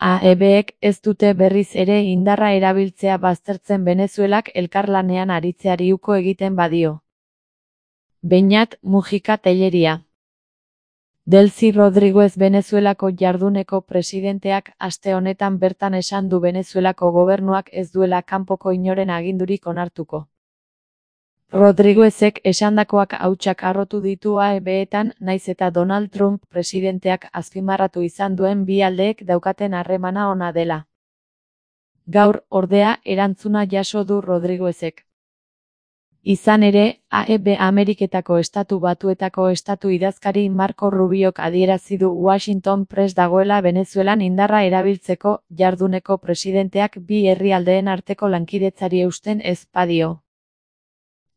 AEBek ez dute berriz ere indarra erabiltzea baztertzen Venezuelak elkarlanean aritzeari uko egiten badio. Beñat Mujica Tellería. Delcy Rodríguez Venezuelako jarduneko presidenteak aste honetan bertan esan du Venezuelako gobernuak ez duela kanpoko inoren agindurik onartuko. Rodríguezek esandakoak hautsak harrotu ditu AEBetan, naiz eta Donald Trump presidenteak azpimarratu izan duen bi aldeek daukaten harremana ona dela. Gaur, ordea, erantzuna jaso du Rodríguezek. Izan ere, AEB Ameriketako Estatu Batuetako estatu idazkari Marco Rubiok adierazi du Washington prest dagoela Venezuelan indarra erabiltzeko, jarduneko presidenteak bi herrialdeen arteko lankidetzari eusten ez badio.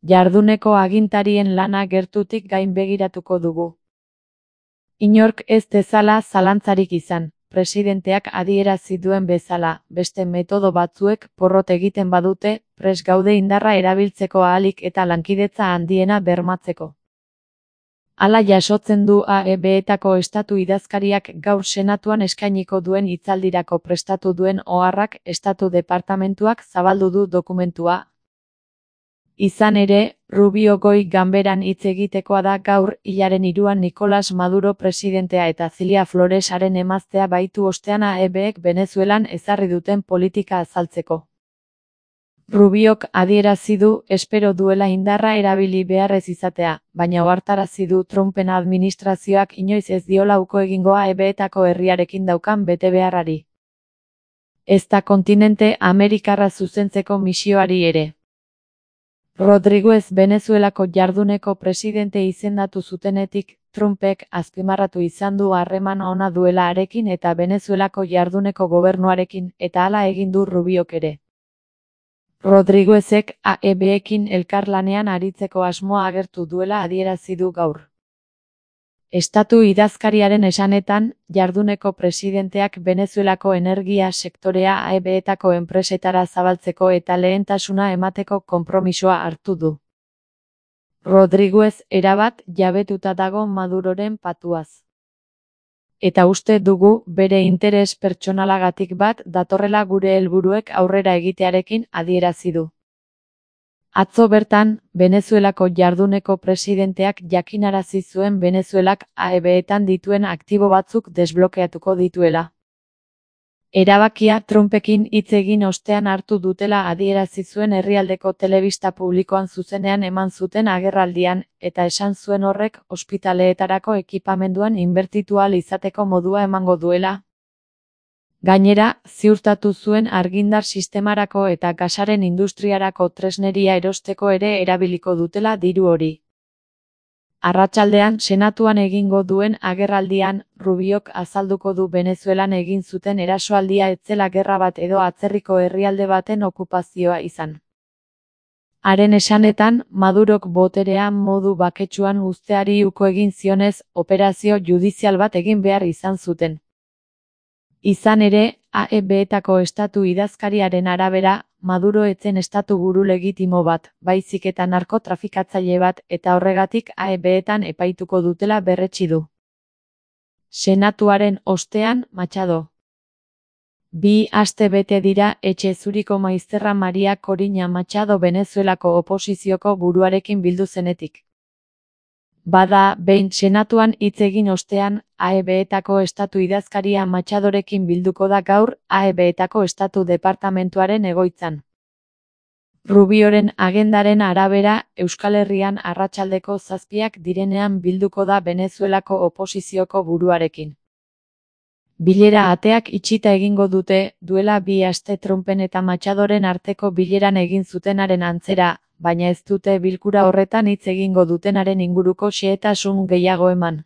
Jarduneko agintarien lana gertutik gainbegiratuko dugu. Inork ez dezala zalantzarik izan, presidenteak adierazi duen bezala, beste metodo batzuek porrot egiten badute, prest gaude indarra erabiltzeko ahalik eta lankidetza handiena bermatzeko. Hala jasotzen du AEBetako estatu idazkariak gaur senatuan eskainiko duen hitzaldirako prestatu duen oharrak estatu departamentuak zabaldu du dokumentua. Izan ere, Rubio goi ganberan hitz egitekoa da gaur hilaren 3an Nicolás Maduro presidentea eta Cilia Floresaren emaztea baitu ostean AEBek Venezuelan ezarri duten politika azaltzeko. Rubiok adierazi du espero duela indarra erabili beharrez izatea, baina ohartarazi du Trumpen administrazioak inoiz ez diola uko egingo AEBetako herriarekin daukan betebeharrari. Ezta kontinente Amerikarra zuzentzeko misioari ere. Rodríguez Venezuelako jarduneko presidente izendatu zutenetik, Trumpek azpimarratu izan du harreman ona duela harekin eta Venezuelako jarduneko gobernuarekin, eta hala egin du Rubiok ere. Rodríguezek AEBekin elkarlanean aritzeko asmoa agertu duela adierazi du gaur. Estatu idazkariaren esanetan, jarduneko presidenteak Venezuelako energia sektorea AEBetako enpresetara zabaltzeko eta lehentasuna emateko konpromisoa hartu du. Rodríguez erabat jabetuta dago Maduroren patuaz. Eta uste dugu bere interes pertsonalagatik bat datorrela gure helburuek aurrera egitearekin adierazi du. Atzo bertan, Venezuelako jarduneko presidenteak jakinarazi zuen Venezuelak AEBetan dituen aktibo batzuk desblokeatuko dituela. Erabakia Trumpekin hitz egin ostean hartu dutela adierazi zuen herrialdeko telebista publikoan zuzenean eman zuten agerraldian, eta esan zuen horrek ospitaleetarako ekipamenduan inbertitu ahal izateko modua emango duela. Gainera, ziurtatu zuen argindar sistemarako eta gasaren industriarako tresneria erosteko ere erabiliko dutela diru hori. Arratsaldean senatuan egingo duen agerraldian, Rubiok azalduko du Venezuelan egin zuten erasoaldia ez zela gerra bat edo atzerriko herrialde baten okupazioa izan. Haren esanetan, Madurok boterea modu baketsuan uzteari uko egin zionez, operazio judizial bat egin behar izan zuten. Izan ere, AEBetako estatu idazkariaren arabera, Maduro etzen estatu buru legitimo bat, baizik eta narkotrafikatzaile bat, eta horregatik AEBetan epaituko dutela berretsi du. Senatuaren ostean, Machado. 2 aste bete dira etxe zuriko maizterra Maria Corina Machado Venezuelako oposizioko buruarekin bildu zenetik. Bada, behin senatuan hitz egin ostean, AEBetako estatu idazkaria Machadorekin bilduko da gaur, AEBetako estatu departamentuaren egoitzan. Rubioren agendaren arabera, Euskal Herrian arratsaldeko 7 direnean bilduko da Venezuelako oposizioko buruarekin. Bilera ateak itxita egingo dute, duela 2 aste Trumpen eta Machadoren arteko bileran egin zutenaren antzera, baina ez dute bilkura horretan hitz egingo dutenaren inguruko xehetasun gehiago eman.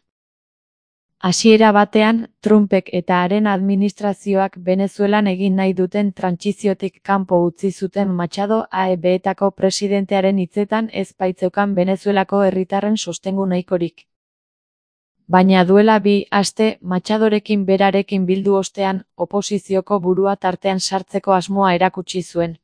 Hasiera batean, Trumpek eta haren administrazioak Venezuelan egin nahi duten trantsiziotik kanpo utzi zuten Machado AEBetako presidentearen hitzetan ez baitzeukan Venezuelako herritarren sostengu nahikorik. Baina duela 2 aste Machadorekin berarekin bildu ostean, oposizioko burua tartean sartzeko asmoa erakutsi zuen.